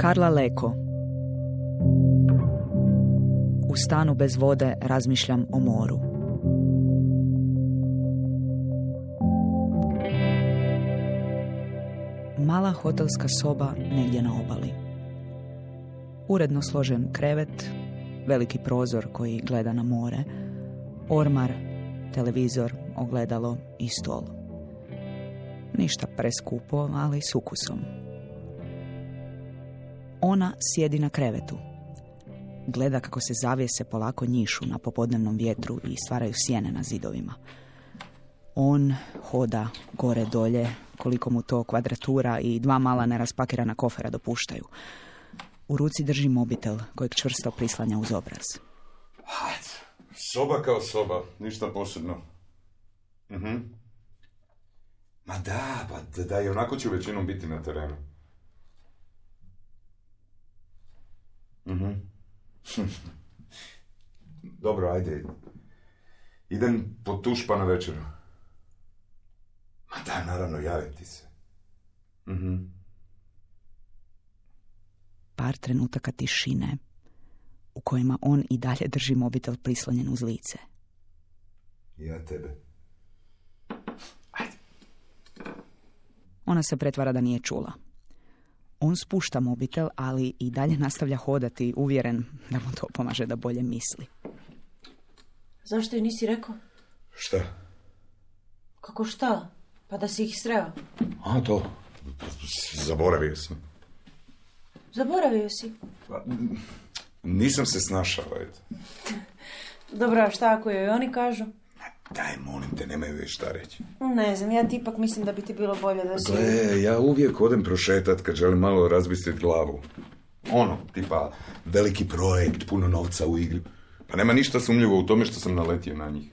Karla Leko. U stanu bez vode razmišljam o moru. Mala hotelska soba negdje na obali. Uredno složen krevet, veliki prozor koji gleda na more, ormar, televizor, ogledalo i stol. Ništa preskupo, ali s ukusom. Ona sjedi na krevetu. Gleda kako se zavjese polako njišu na popodnevnom vjetru i stvaraju sjene na zidovima. On hoda gore dolje, koliko mu to kvadratura i 2 mala neraspakirana kofera dopuštaju. U ruci drži mobitel kojeg čvrsto prislanja uz obraz. Soba kao soba, ništa posebno. Ma da, pa da, i onako ću većinom biti na terenu. Dobro, ajde. Idem po tuš pa na večeru. Ma da, naravno, javim ti se. Par trenutaka tišine u kojima on i dalje drži mobitel prislonjen uz lice. Ja tebe. Ajde. Ona se pretvara da nije čula. On spušta mobitel, ali i dalje nastavlja hodati, uvjeren da mu to pomaže da bolje misli. Zašto joj nisi rekao? Šta? Kako šta? Pa da si ih sreo. A, to. Zaboravio sam. Zaboravio si? Pa, nisam se snašao, eto. Dobro, a šta ako joj oni kažu? Daj, molim te, nemaju već šta reći. Ne znam, ja ti ipak mislim da bi ti bilo bolje da si... Gle, ja uvijek odem prošetat kad želim malo razbistriti glavu. Ono, tipa, veliki projekt, puno novca u igri. Pa nema ništa sumnjivo u tome što sam naletio na njih.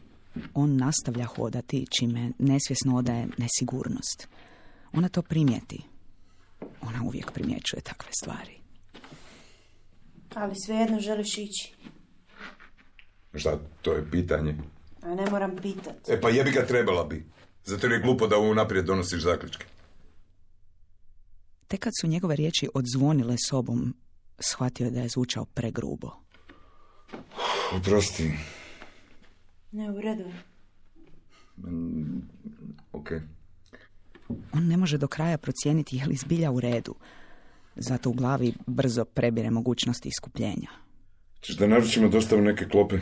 On nastavlja hodati, čime nesvjesno odaje nesigurnost. Ona to primijeti. Ona uvijek primjećuje takve stvari. Ali svejedno želiš ići. Šta, to je pitanje? A ne moram pitat. Pa jebi ga, trebala bi. Zato jer je glupo da unaprijed donosiš zaključke. Tek kad su njegove riječi odzvonile sobom, shvatio je da je zvučao pregrubo. Oprosti. Ne, u redu. Ok. On ne može do kraja procijeniti je li zbilja u redu. Zato u glavi brzo prebire mogućnosti iskupljenja. Češ da naručimo dostavu neke klope?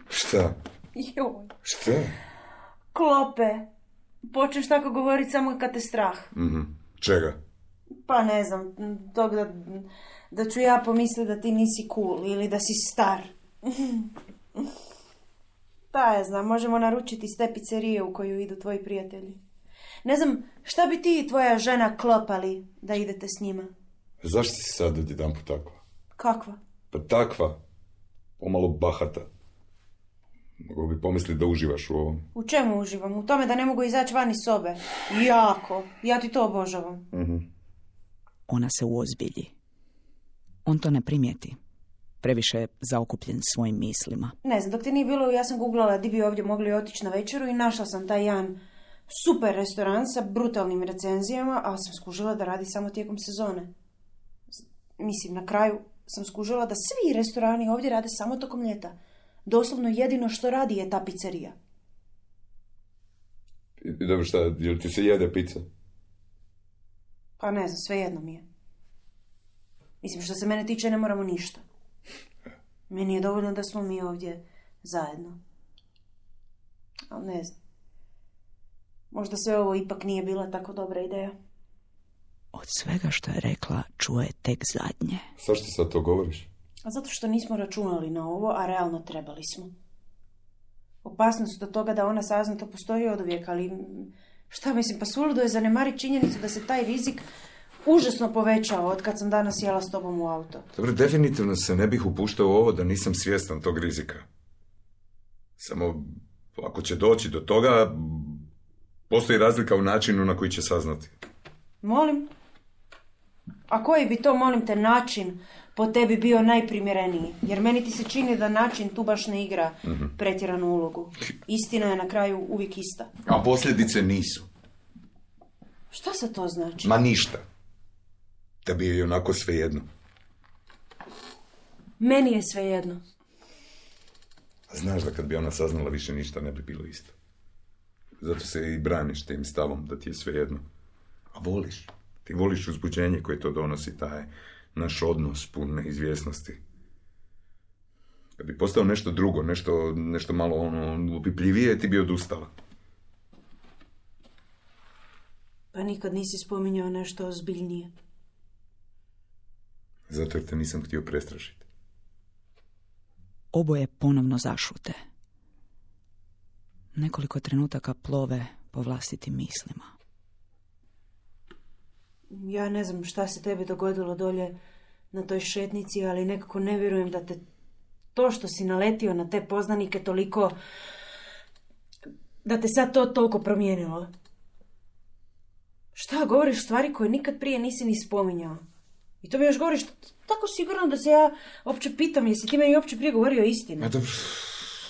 Šta? Joj. Šta? Klope. Počneš tako govoriti samo kad te strah. Čega? Pa ne znam, tog da ću ja pomisliti da ti nisi cool ili da si star. Pa ja znam, možemo naručiti iz te pizzerije u koju idu tvoji prijatelji. Ne znam, šta bi ti i tvoja žena klopali da idete s njima? Zašto si sad odjedanput takva? Kakva? Pa takva. Pomalo bahata. Mogu bi pomisliti da uživaš u ovom. U čemu uživam? U tome da ne mogu izaći van iz sobe. Jako. Ja ti to obožavam. Ona se uozbilji. On to ne primijeti. Previše je zaokupljen svojim mislima. Ne znam, dok ti nije bilo, ja sam googlala di bi ovdje mogli otići na večeru i našla sam taj jedan super restoran sa brutalnim recenzijama, ali sam skužila da radi samo tijekom sezone. Mislim, na kraju sam skužila da svi restorani ovdje rade samo tokom ljeta. Doslovno jedino što radi je ta pizzerija. I dobro, šta, jel ti se jede pizza? Pa ne znam, svejedno mi je. Mislim, što se mene tiče, ne moramo ništa. Meni je dovoljno da smo mi ovdje zajedno. Ali ne znam. Možda sve ovo ipak nije bila tako dobra ideja. Od svega što je rekla, čuo je tek zadnje. Zašto sad to govoriš? A zato što nismo računali na ovo, a realno trebali smo. Opasnost do toga da ona sazna to postoji oduvijek, ali šta mislim, pa suludo je zanemariti činjenicu da se taj rizik užasno povećao od kad sam danas sjela s tobom u auto. Dobro, definitivno se ne bih upuštao u ovo da nisam svjestan tog rizika. Samo, ako će doći do toga, postoji razlika u načinu na koji će saznati. Molim? A koji bi to, molim te, način po tebi bio najprimjereniji? Jer meni ti se čini da način tu baš ne igra pretjeranu ulogu. Istina je na kraju uvijek ista. A posljedice nisu. Šta se to znači? Ma ništa. Tebi je onako svejedno. Meni je svejedno. A znaš da kad bi ona saznala više ništa ne bi bilo isto. Zato se i braniš tim stavom da ti je svejedno. A voliš. Ti voliš uzbuđenje koje to donosi, taj naš odnos pun neizvjesnosti. Kad bi postao nešto drugo, nešto malo upipljivije, ti bi odustala. Pa nikad nisi spominjao nešto ozbiljnije. Zato jer te nisam htio prestrašiti. Oboje ponovno zašute. Nekoliko trenutaka plove po vlastitim mislima. Ja ne znam šta se tebi dogodilo dolje na toj šetnici, ali nekako ne vjerujem da te to što si naletio na te poznanike toliko, da te sad to toliko promijenilo. Šta, govoriš stvari koje nikad prije nisi ni spominjao. I to mi još govoriš tako sigurno da se ja uopće pitam, jesi ti meni uopće prije govorio istinu? A dobro,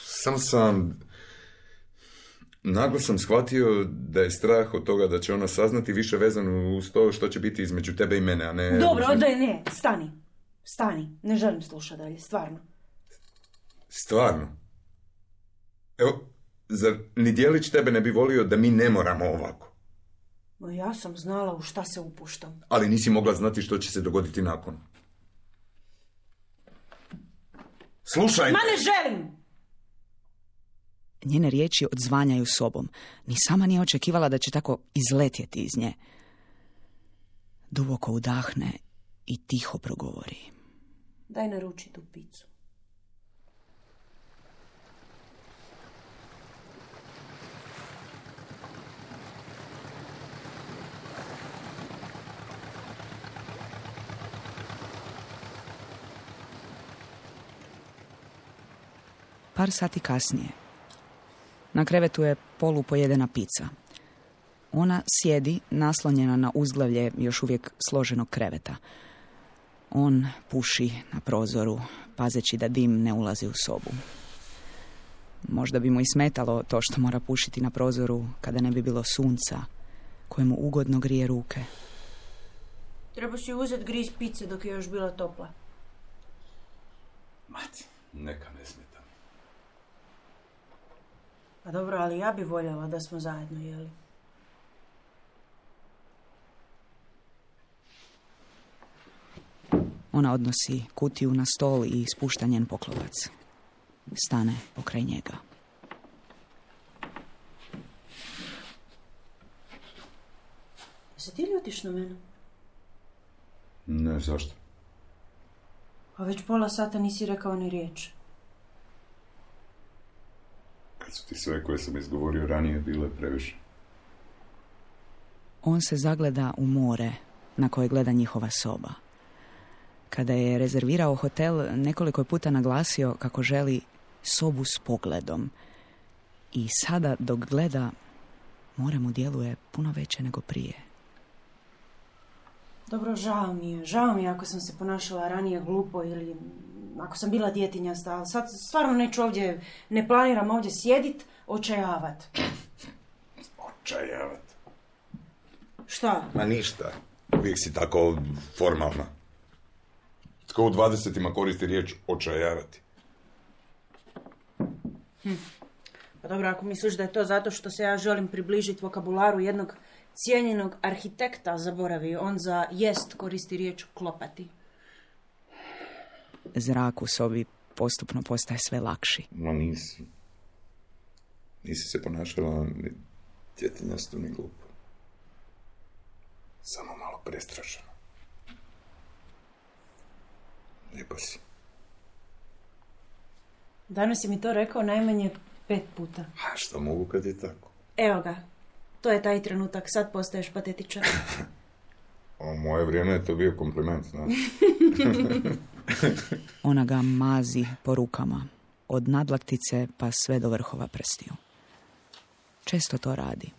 samo sam... Naglo sam shvatio da je strah od toga da će ona saznati više vezano uz to što će biti između tebe i mene, a ne... Dobro, ne, stani, ne želim slušati dalje, stvarno. Stvarno? Evo, zar ni dijelić tebe ne bi volio da mi ne moramo ovako? No ja sam znala u šta se upuštam. Ali nisi mogla znati što će se dogoditi nakon. Slušaj! Ma ne želim! Njene riječi odzvanjaju sobom. Ni sama nije očekivala da će tako izletjeti iz nje. Duboko udahne i tiho progovori. Daj naruči tu picu. Par sati kasnije. Na krevetu je polupojedena pica. Ona sjedi naslonjena na uzglavlje još uvijek složenog kreveta. On puši na prozoru, pazeći da dim ne ulazi u sobu. Možda bi mu i smetalo to što mora pušiti na prozoru kada ne bi bilo sunca, koje mu ugodno grije ruke. Treba si uzeti griz pice dok je još bila topla. Mati, neka ne smeta. Pa dobro, ali ja bi voljela da smo zajedno jeli. Ona odnosi kutiju na stol i ispušta njen poklopac. Stane pokraj njega. Jesi ti ljutiš na mene? Ne, zašto? A već pola sata nisi rekao ni riječ. Kad su ti sve koje sam izgovorio ranije bile previše. On se zagleda u more na koje gleda njihova soba. Kada je rezervirao hotel, nekoliko je puta naglasio kako želi sobu s pogledom. I sada dok gleda, more mu djeluje puno veće nego prije. Dobro, žao mi je ako sam se ponašala ranije glupo ili ako sam bila djetinjasta, ali sad stvarno neću ovdje, ne planiram ovdje sjedit, očajavat. Očajavat? Šta? Ma ništa, uvijek si tako formalna. Tko u 20-ima koristi riječ očajavati? Pa dobro, ako misliš da je to zato što se ja želim približiti vokabularu jednog cijenjenog arhitekta, zaboravi, on za jest koristi riječ klopati. Zrak u sobi postupno postaje sve lakši. Ma nisi. Nisi se ponašala ni djetinjasto ni glupo. Samo malo prestrašeno. Lijepo si. Danas si mi to rekao najmanje 5 puta. A što mogu kad je tako? Evo ga. To je taj trenutak. Sad postaješ patetičan. U moje vrijeme je to bio kompliment, znaš. Ona ga mazi po rukama. Od nadlaktice pa sve do vrhova prstiju. Često to radi.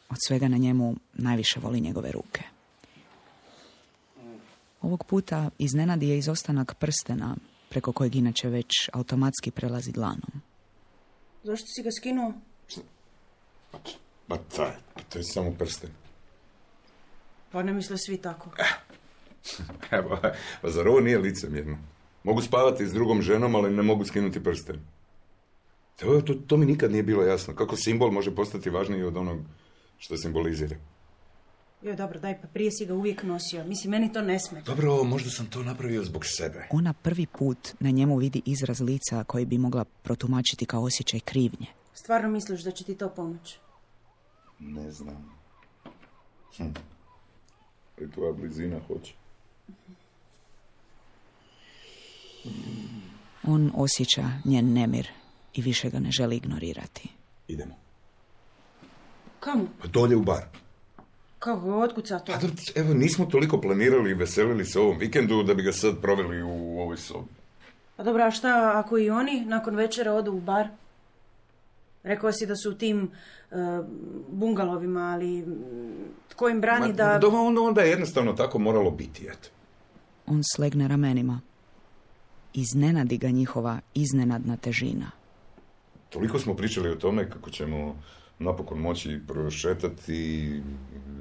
Od svega na njemu najviše voli njegove ruke. Ovog puta iznenadi je izostanak prstena, preko kojeg inače već automatski prelazi dlanom. Zašto si ga skinuo? Pa to je samo prsten. Pa ne misle svi tako. Evo, pa zar ovo nije licemjerno? Mogu spavati s drugom ženom, ali ne mogu skinuti prsten. To mi nikad nije bilo jasno. Kako simbol može postati važniji od onog što simbolizira? Joj, dobro, daj, pa prije si ga uvijek nosio. Mislim, meni to ne smeta. Dobro, možda sam to napravio zbog sebe. Ona prvi put na njemu vidi izraz lica koji bi mogla protumačiti kao osjećaj krivnje. Stvarno misliš da će ti to pomoći? Ne znam. Ali tvoja blizina hoće. On osjeća njen nemir i više ga ne želi ignorirati. Idemo. Kamo? Pa dolje u bar. Kako, otkuca to? Evo, nismo toliko planirali i veselili se ovom vikendu da bi ga sad proveli u ovoj sobi. Pa dobro, a šta ako i oni nakon večera odu u bar? Rekao si da su u tim bungalovima, ali tko im brani da... Onda je jednostavno tako moralo biti, eto. On slegne ramenima. Iznenadi ga njihova iznenadna težina. Toliko smo pričali o tome kako ćemo napokon moći prošetati,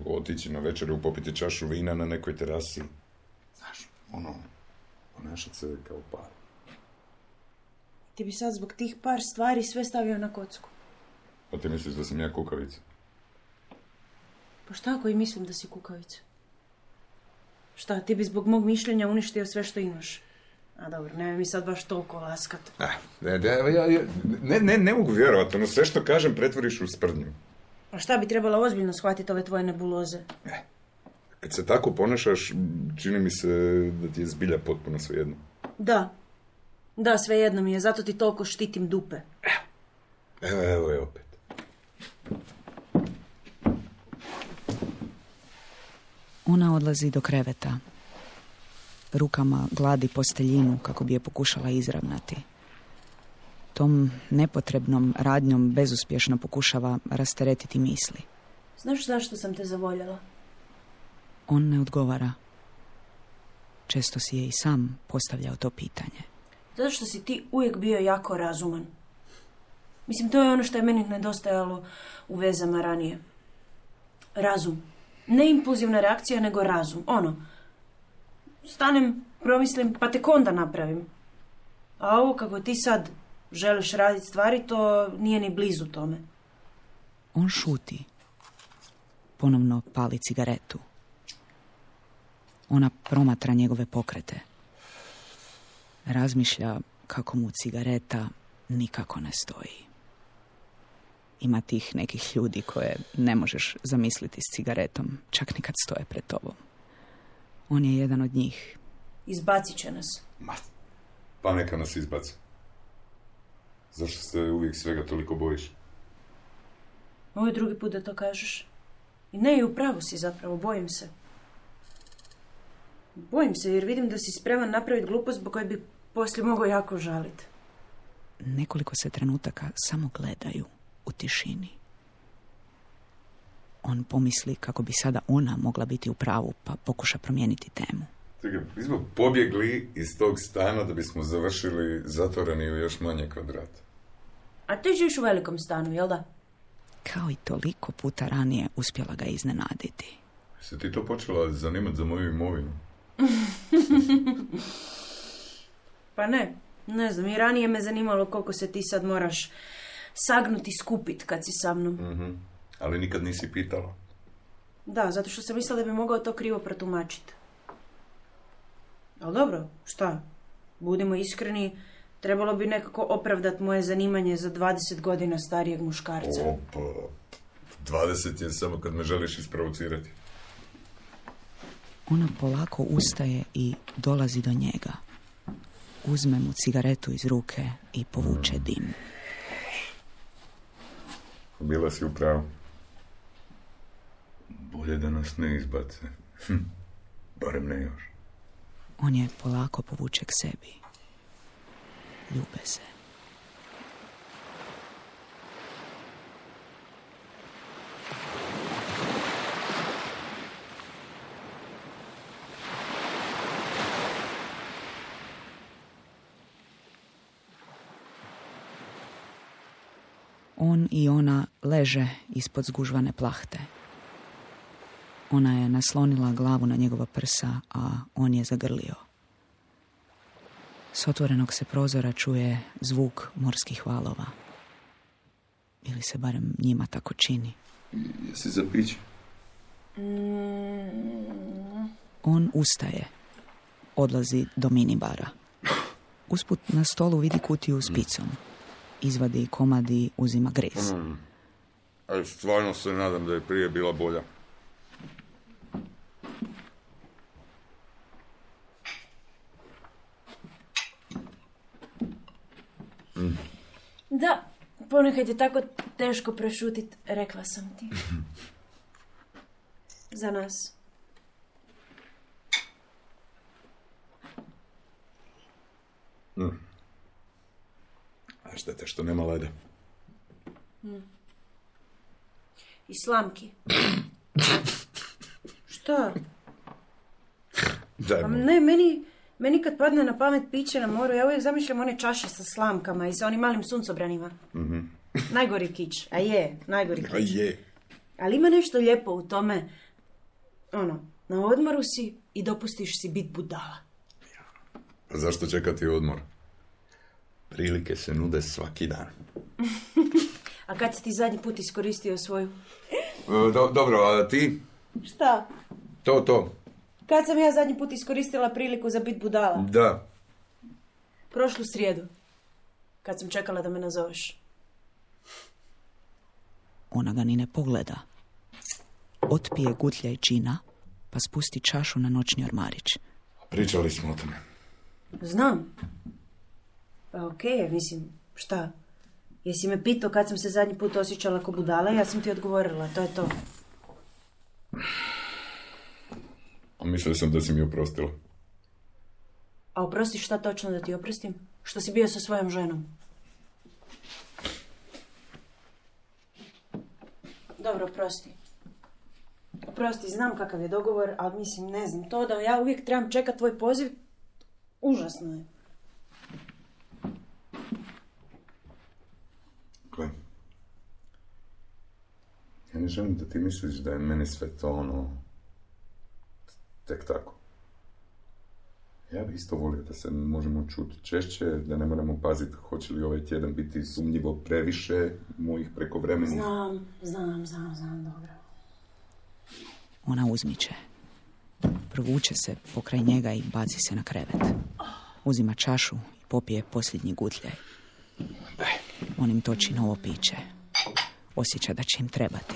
otići na večeru, popiti čašu vina na nekoj terasi. Znaš, ponašati se kao par. Ti bi sad zbog tih par stvari sve stavio na kocku. Pa ti misliš da sam ja kukavica? Pa šta ako i mislim da si kukavica? Šta, ti bi zbog mog mišljenja uništio sve što imaš? A dobro, nemoj mi sad baš toliko laskat. Ne mogu vjerovati, sve što kažem pretvoriš u sprdnju. A šta bi trebalo ozbiljno shvatiti ove tvoje nebuloze? Kad se tako ponašaš, čini mi se da ti je zbilja potpuno svejedno. Da, svejedno mi je, zato ti toliko štitim dupe. Evo je opet. Ona odlazi do kreveta. Rukama gladi posteljinu kako bi je pokušala izravnati. Tom nepotrebnom radnjom bezuspješno pokušava rasteretiti misli. Znaš zašto sam te zavoljela? On ne odgovara. Često si je i sam postavljao to pitanje. Zato što si ti uvijek bio jako razuman. Mislim, to je ono što je meni nedostajalo u vezama ranije. Razum. Ne impulzivna reakcija, nego razum. Stanem, promislim, pa tek onda napravim. A ovo kako ti sad želiš raditi stvari, to nije ni blizu tome. On šuti. Ponovno pali cigaretu. Ona promatra njegove pokrete. Razmišlja kako mu cigareta nikako ne stoji. Ima tih nekih ljudi koje ne možeš zamisliti s cigaretom, čak ni kad stoje pred tobom. On je jedan od njih. Izbacit će nas. Pa neka nas izbaci. Zašto se uvijek svega toliko bojiš? Ovo je drugi put da to kažeš. I ne, i upravo si zapravo, bojim se. Bojim se jer vidim da si spreman napraviti glupost zbog koje bi poslije mogao jako žaliti. Nekoliko se trenutaka samo gledaju u tišini. On pomisli kako bi sada ona mogla biti u pravu, pa pokuša promijeniti temu. Čekaj, mi smo pobjegli iz tog stana da bismo završili zatvoreni u još manje kvadrat. A ti živiš u velikom stanu, jel da? Kao i toliko puta ranije uspjela ga iznenaditi. Se ti to počela zanimati za moju imovinu? Pa ne znam, i ranije me zanimalo koliko se ti sad moraš sagnuti skupit kad si sa mnom. Mm-hmm. Ali nikad nisi pitala. Da, zato što sam mislila da bi mogao to krivo protumačiti. Ali dobro, šta? Budimo iskreni, trebalo bi nekako opravdati moje zanimanje za 20 godina starijeg muškarca. Opa, 20 je samo kad me želiš isprovocirati. Ona polako ustaje i dolazi do njega. Uzme mu cigaretu iz ruke i povuče dim. Bila si u pravu. Bolje da nas ne izbace. Barem ne još. On je polako povuče k sebi. Ljube se. On i ona leže ispod zgužvane plahte. Ona je naslonila glavu na njegova prsa, a on je zagrlio. S otvorenog se prozora čuje zvuk morskih valova. Ili se barem njima tako čini. Jesi za piće? On ustaje. Odlazi do minibara. Usput na stolu vidi kutiju s picom. Izvadi komad i uzima grez. Ali stvarno se nadam da je prije bila bolja. Da, ponekad je tako teško prešutit, rekla sam ti. Za nas. A štete što nema leda. I slamki. Šta? Daj, Ne, meni kad padne na pamet piće na moru, ja uvijek zamišljam one čaše sa slamkama i sa onim malim suncobranima. Najgori kič. A je, najgori kič. A je. Ali ima nešto lijepo u tome. Na odmoru si i dopustiš si bit budala. A zašto čekati odmor? Prilike se nude svaki dan. A kad si ti zadnji put iskoristio svoju? Dobro, a ti? Šta? To. Kad sam ja zadnji put iskoristila priliku za bit budala? Da. Prošlu srijedu. Kad sam čekala da me nazoveš. Ona ga ni ne pogleda. Otpije gutljaj džina, pa spusti čašu na noćni ormarić. Pričali smo o tome. Znam. Pa okej, mislim, šta? Jesi me pitao kad sam se zadnji put osjećala ko budala, ja sam ti odgovorila, to je to. A mislio sam da si mi oprostila. A oprostiš šta točno da ti oprostim? Što si bio sa svojom ženom? Dobro, oprosti. Oprosti, znam kakav je dogovor, ali mislim, ne znam, to da ja uvijek trebam čekati tvoj poziv, užasno je. Gle, ja ne želim da ti misliš da je meni sve to tek tako. Ja bi isto volio da se možemo čuti češće, da ne moramo paziti hoće li ovaj tjedan biti sumnjivo previše mojih prekovremenih. Znam, dobro. Ona uzmiče. Provuče se pokraj njega i baci se na krevet. Uzima čašu i popije posljednji gutljaj. On im toči novo piće. Osjeća da će im trebati.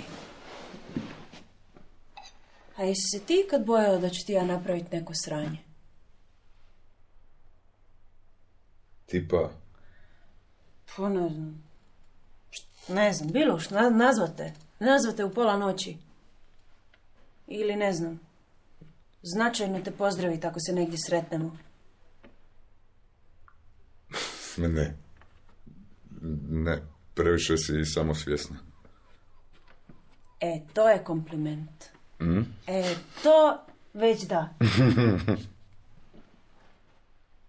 A jesi se ti kad bojala da ću ti ja napraviti neko sranje? Tipa? Pa ne znam. Ne znam, bilo što, nazvate u pola noći. Ili ne znam. Značajno te pozdraviti ako se negdje sretnemo. Ne, previše si samosvjesna. To je kompliment. To već da.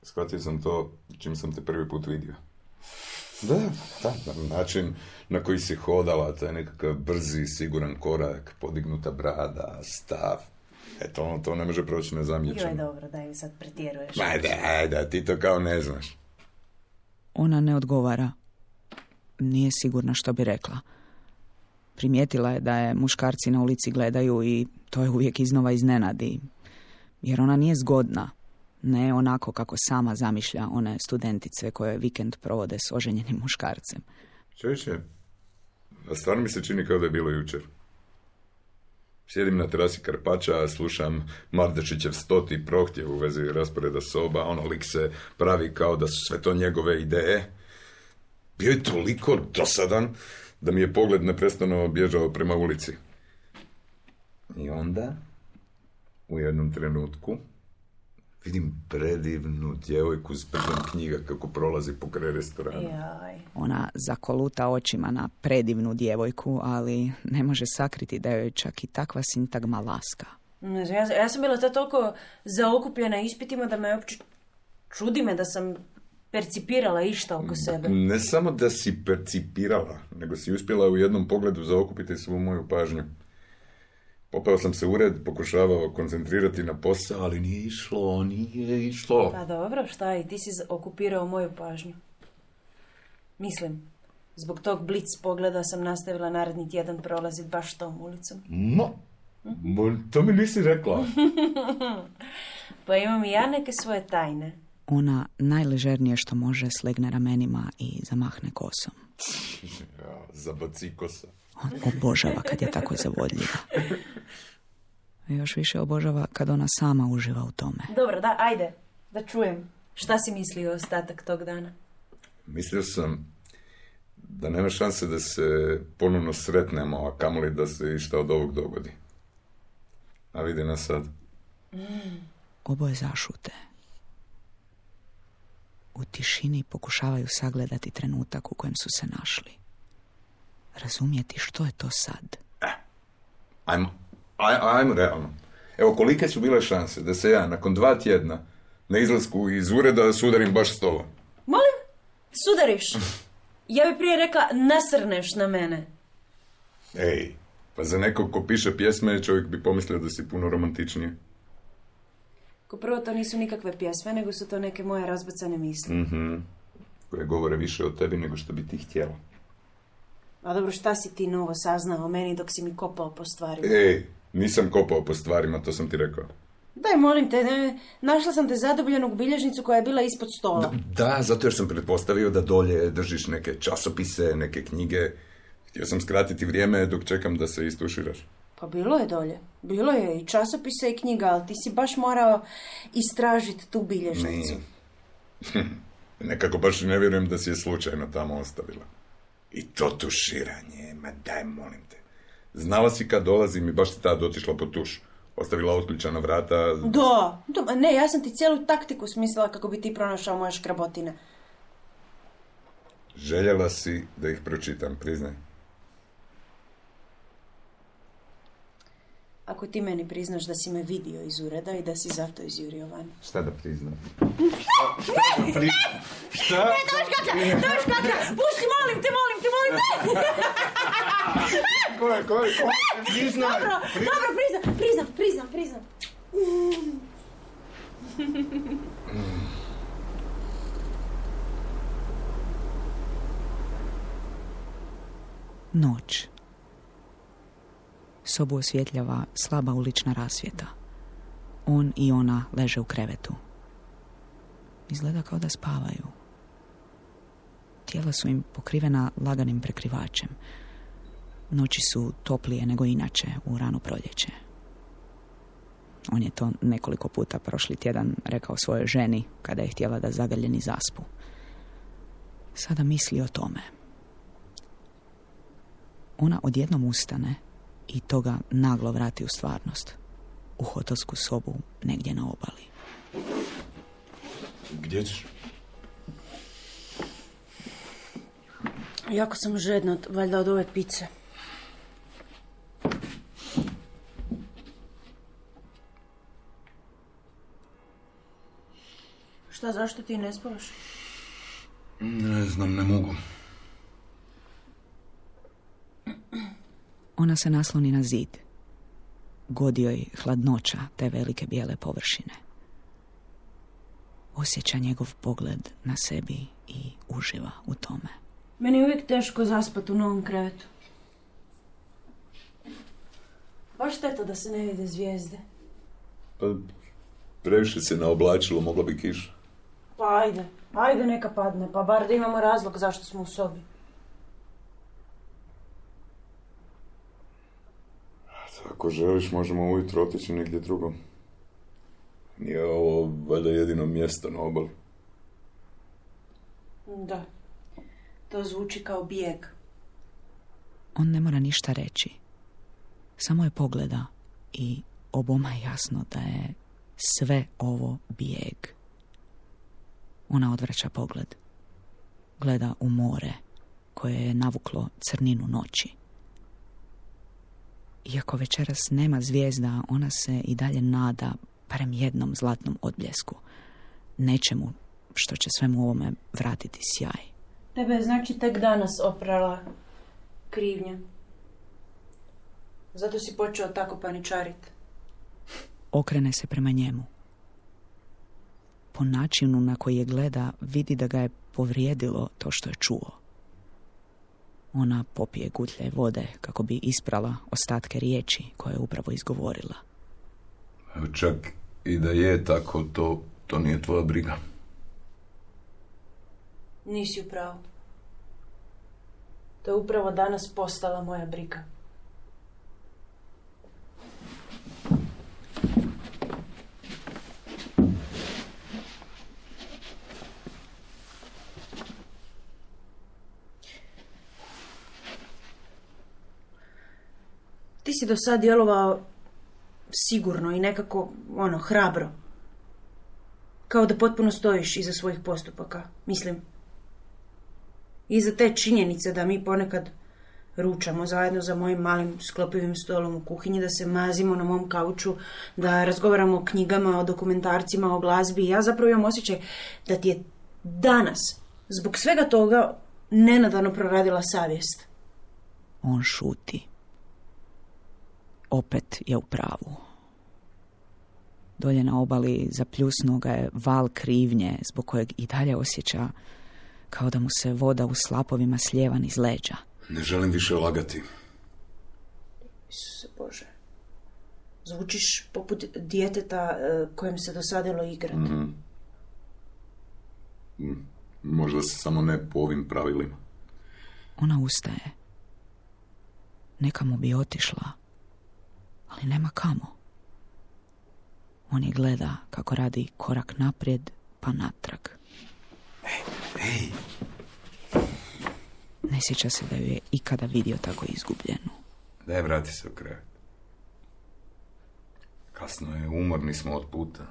Shvatio sam to čim sam te prvi put vidio. Da, način na koji si hodala, taj nekakav brzi, siguran korak, podignuta brada, stav. To ne može proći nezamijećeno. Joj, dobro, daj, sad pretjeruješ. Da, ti to kao ne znaš. Ona ne odgovara. Nije sigurna što bi rekla. Primijetila je da je muškarci na ulici gledaju i to je uvijek iznova iznenadi. Jer ona nije zgodna. Ne onako kako sama zamišlja one studentice koje vikend provode s oženjenim muškarcem. Čeće, a stvarno mi se čini kao da je bilo jučer. Sjedim na terasi Karpača, slušam Mardešićev 100. prohtjev u vezi rasporeda soba, lik se pravi kao da su sve to njegove ideje. Bio je toliko dosadan da mi je pogled neprestano bježao prema ulici. I onda, u jednom trenutku, vidim predivnu djevojku s brdom knjiga kako prolazi pokraj restorana. Jaj. Ona zakoluta očima na predivnu djevojku, ali ne može sakriti da joj čak i takva sintagma laska. Ja sam bila toliko zaokupljena ispitima da me uopće čudi me da sam percipirala išta oko sebe. Ne samo da si percipirala, nego si uspjela u jednom pogledu zaokupiti svu moju pažnju. Popeo sam se u ured, pokušavao koncentrirati na posao, ali nije išlo. Pa dobro, šta i ti si okupirao moju pažnju. Mislim, zbog tog blic pogleda sam nastavila naredni tjedan prolaziti baš tom ulicom. To mi nisi rekla. Pa imam i ja neke svoje tajne. Ona najležernije što može slegne ramenima i zamahne kosom. Zabaci kosa. On obožava kad je tako zavodljiva. Još više obožava kad ona sama uživa u tome. Dobro, da, ajde, da čujem. Šta si mislio ostatak tog dana? Mislio sam da nema šanse da se ponovno sretnemo, a kamoli da se išta od ovog dogodi. A vidi nas sad. Oboje zašute. U tišini pokušavaju sagledati trenutak u kojem su se našli. Razumjeti što je to sad. Ajmo realno. Evo, kolike su bile šanse da se ja nakon 2 tjedna na izlasku iz ureda sudarim baš s tobom? Molim? Sudariš? Ja bi prije rekla nasrneš na mene. Ej, pa za nekog ko piše pjesme čovjek bi pomislio da si puno romantičnije. Ko prvo, to nisu nikakve pjesme, nego su to neke moje razbacane misli. Koje govore više o tebi nego što bi ti htjela. A dobro, šta si ti novo saznao o meni dok si mi kopao po stvarima? Ej, nisam kopao po stvarima, to sam ti rekao. Daj, molim te, našla sam te zadubljenog u bilježnicu koja je bila ispod stola. Da, zato jer sam pretpostavio da dolje držiš neke časopise, neke knjige. Htio sam skratiti vrijeme dok čekam da se istuširaš. Pa bilo je dolje. Bilo je i časopisa i knjiga, ali ti si baš morao istražiti tu bilježnicu. Nekako baš ne vjerujem da si je slučajno tamo ostavila. I to tuširanje, ma daj, molim te. Znala si kad dolazim i baš si tad otišla po tuš. Ostavila otključana vrata. Da, ne, ja sam ti cijelu taktiku smislila kako bi ti pronašao moje škrabotine. Željela si da ih pročitam, priznaj. Ako ti meni priznaš da si me vidio iz ureda i da si zato izjurio van. Šta da priznam? Šta? Ne, Tomiš Kakra, pusti, molim te. Ko? Priznaj! Dobro, priznam. Noć. Sobu osvjetljava slaba ulična rasvjeta. On i ona leže u krevetu. Izgleda kao da spavaju. Tijela su im pokrivena laganim prekrivačem. Noći su toplije nego inače u rano proljeće. On je to nekoliko puta prošli tjedan rekao svojoj ženi kada je htjela da zagrljeni zaspu. Sada misli o tome. Ona odjednom ustane i toga naglo vrati u stvarnost. U hotelsku sobu negdje na obali. Gdje ćeš? Jako sam žedna, valjda od ove pice. Šta, zašto ti ne spavaš? Ne znam, ne mogu. Ona se nasloni na zid. Godi joj hladnoća te velike bijele površine. Osjeća njegov pogled na sebi i uživa u tome. Meni je uvijek teško zaspati u novom krevetu. Baš šteta da se ne vide zvijezde. Pa, previše se naoblačilo, mogla bi kiša. Pa ajde neka padne, pa bar da imamo razlog zašto smo u sobi. Ako želiš, možemo ujutro otići negdje drugo. Nije ovo valjda jedino mjesto na obali. Da, to zvuči kao bijeg. On ne mora ništa reći. Samo je pogleda i oboma je jasno da je sve ovo bijeg. Ona odvraća pogled. Gleda u more koje je navuklo crninu noći. Iako večeras nema zvijezda, ona se i dalje nada barem jednom zlatnom odbljesku. Nečemu što će svemu ovome vratiti sjaj. Tebe je znači tek danas oprala krivnja. Zato si počeo tako paničariti. Okrene se prema njemu. Po načinu na koji je gleda, vidi da ga je povrijedilo to što je čuo. Ona popije gutlje vode kako bi isprala ostatke riječi koje je upravo izgovorila. Čak i da je tako, to nije tvoja briga. Nisi u pravu. To je upravo danas postala moja briga. Ti si do sad djelovao sigurno i nekako, hrabro. Kao da potpuno stojiš iza svojih postupaka. Mislim, iza te činjenice da mi ponekad ručamo zajedno za mojim malim sklopivim stolom u kuhinji, da se mazimo na mom kauču, da razgovaramo o knjigama, o dokumentarcima, o glazbi. Ja zapravo imam osjećaj da ti je danas, zbog svega toga, nenadano proradila savjest. On šuti. Opet je u pravu. Dolje na obali zapljusnuo ga je val krivnje zbog kojeg i dalje osjeća kao da mu se voda u slapovima slijeva niz leđa. Ne želim više lagati. Isuse Bože. Zvučiš poput djeteta kojem se dosadilo igrati. Možda se samo ne po ovim pravilima. Ona ustaje. Nekamo bi otišla, ali nema kamo. On je gleda kako radi korak naprijed pa natrag. Ej. Ne sjeća se da ju je ikada vidio tako izgubljenu. Daj, vrati se u krevet. Kasno je, umorni smo od puta.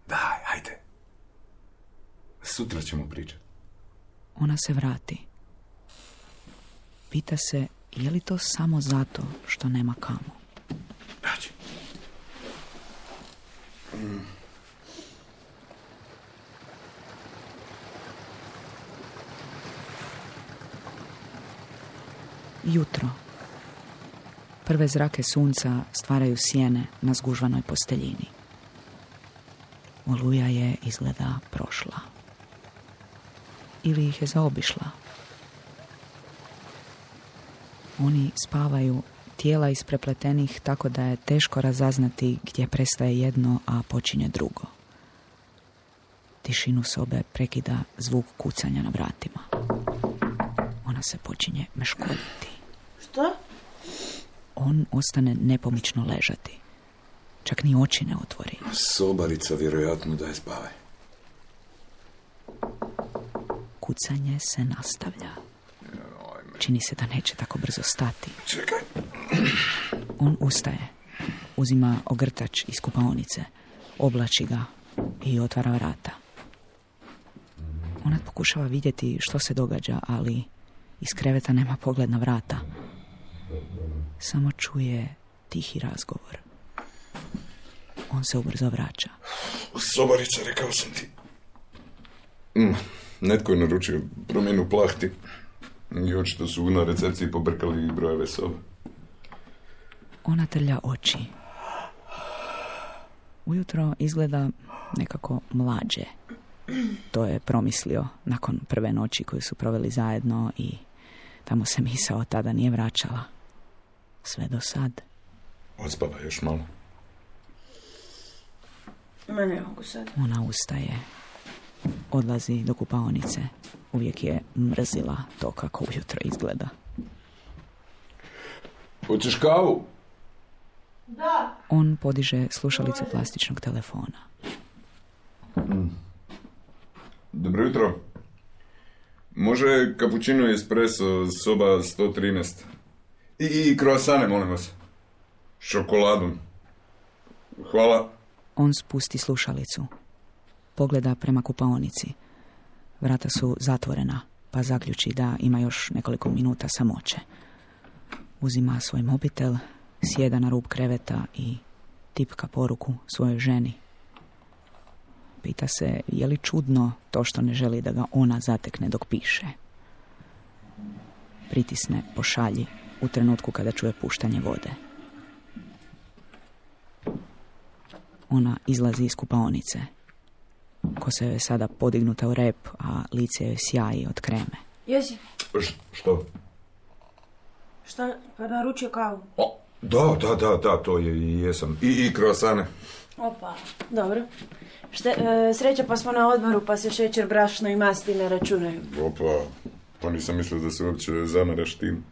Daj, ajde. Sutra ćemo pričati. Ona se vrati. Pita se je li to samo zato što nema kamo. Daći. Jutro. Prve zrake sunca stvaraju sjene na zgužvanoj posteljini. Oluja je izgleda prošla. Ili ih je zaobišla. Oni spavaju, tijela isprepletenih tako da je teško razaznati gdje prestaje jedno, a počinje drugo. Tišinu sobe prekida zvuk kucanja na vratima. Ona se počinje meškoljiti. Što? On ostane nepomično ležati. Čak ni oči ne otvori. Sobarica vjerojatno da je spavaj. Kucanje se nastavlja. Čini se da neće tako brzo stati. Čekaj. On ustaje. Uzima ogrtač iz kupaonice. Oblači ga i otvara vrata. Ona pokušava vidjeti što se događa, ali iz kreveta nema pogled na vrata. Samo čuje tihi razgovor. On se ubrzo vraća. Sobarica, rekao sam ti. Netko je naručio promjenu plahti. I očito su na recepciji pobrkali brojeve sobe. Ona trlja oči. Ujutro izgleda nekako mlađe. To je promislio nakon prve noći koju su proveli zajedno i tamo se misao tada nije vraćala. Sve do sad. Odspava još malo. Ma ne mogu sad. Ona ustaje. Odlazi do kupaonice. Uvijek je mrzila to kako ujutro izgleda. Hoćeš kavu? Da. On podiže slušalicu plastičnog telefona. Dobro jutro. Može kapućino i espresso, soba 113. I kroasane, molim vas. Šokoladom. Hvala. On spusti slušalicu. Pogleda prema kupaonici. Vrata su zatvorena, pa zaključi da ima još nekoliko minuta samoće. Uzima svoj mobitel, sjeda na rub kreveta i tipka poruku svojoj ženi. Pita se je li čudno to što ne želi da ga ona zatekne dok piše. Pritisne pošalji u trenutku kada čuje puštanje vode. Ona izlazi iz kupaonice. Kosa joj je sada podignuta u rep, a lice joj sjaji od kreme. Jesi? Što? Šta? Pa naručio kavu. O, da, to je i jesam. I kroasane. Opa, dobro. Sreća pa smo na odmoru, pa se šećer, brašno i masti ne računaju. Opa, pa nisam mislio da se uopće zamaraš tim.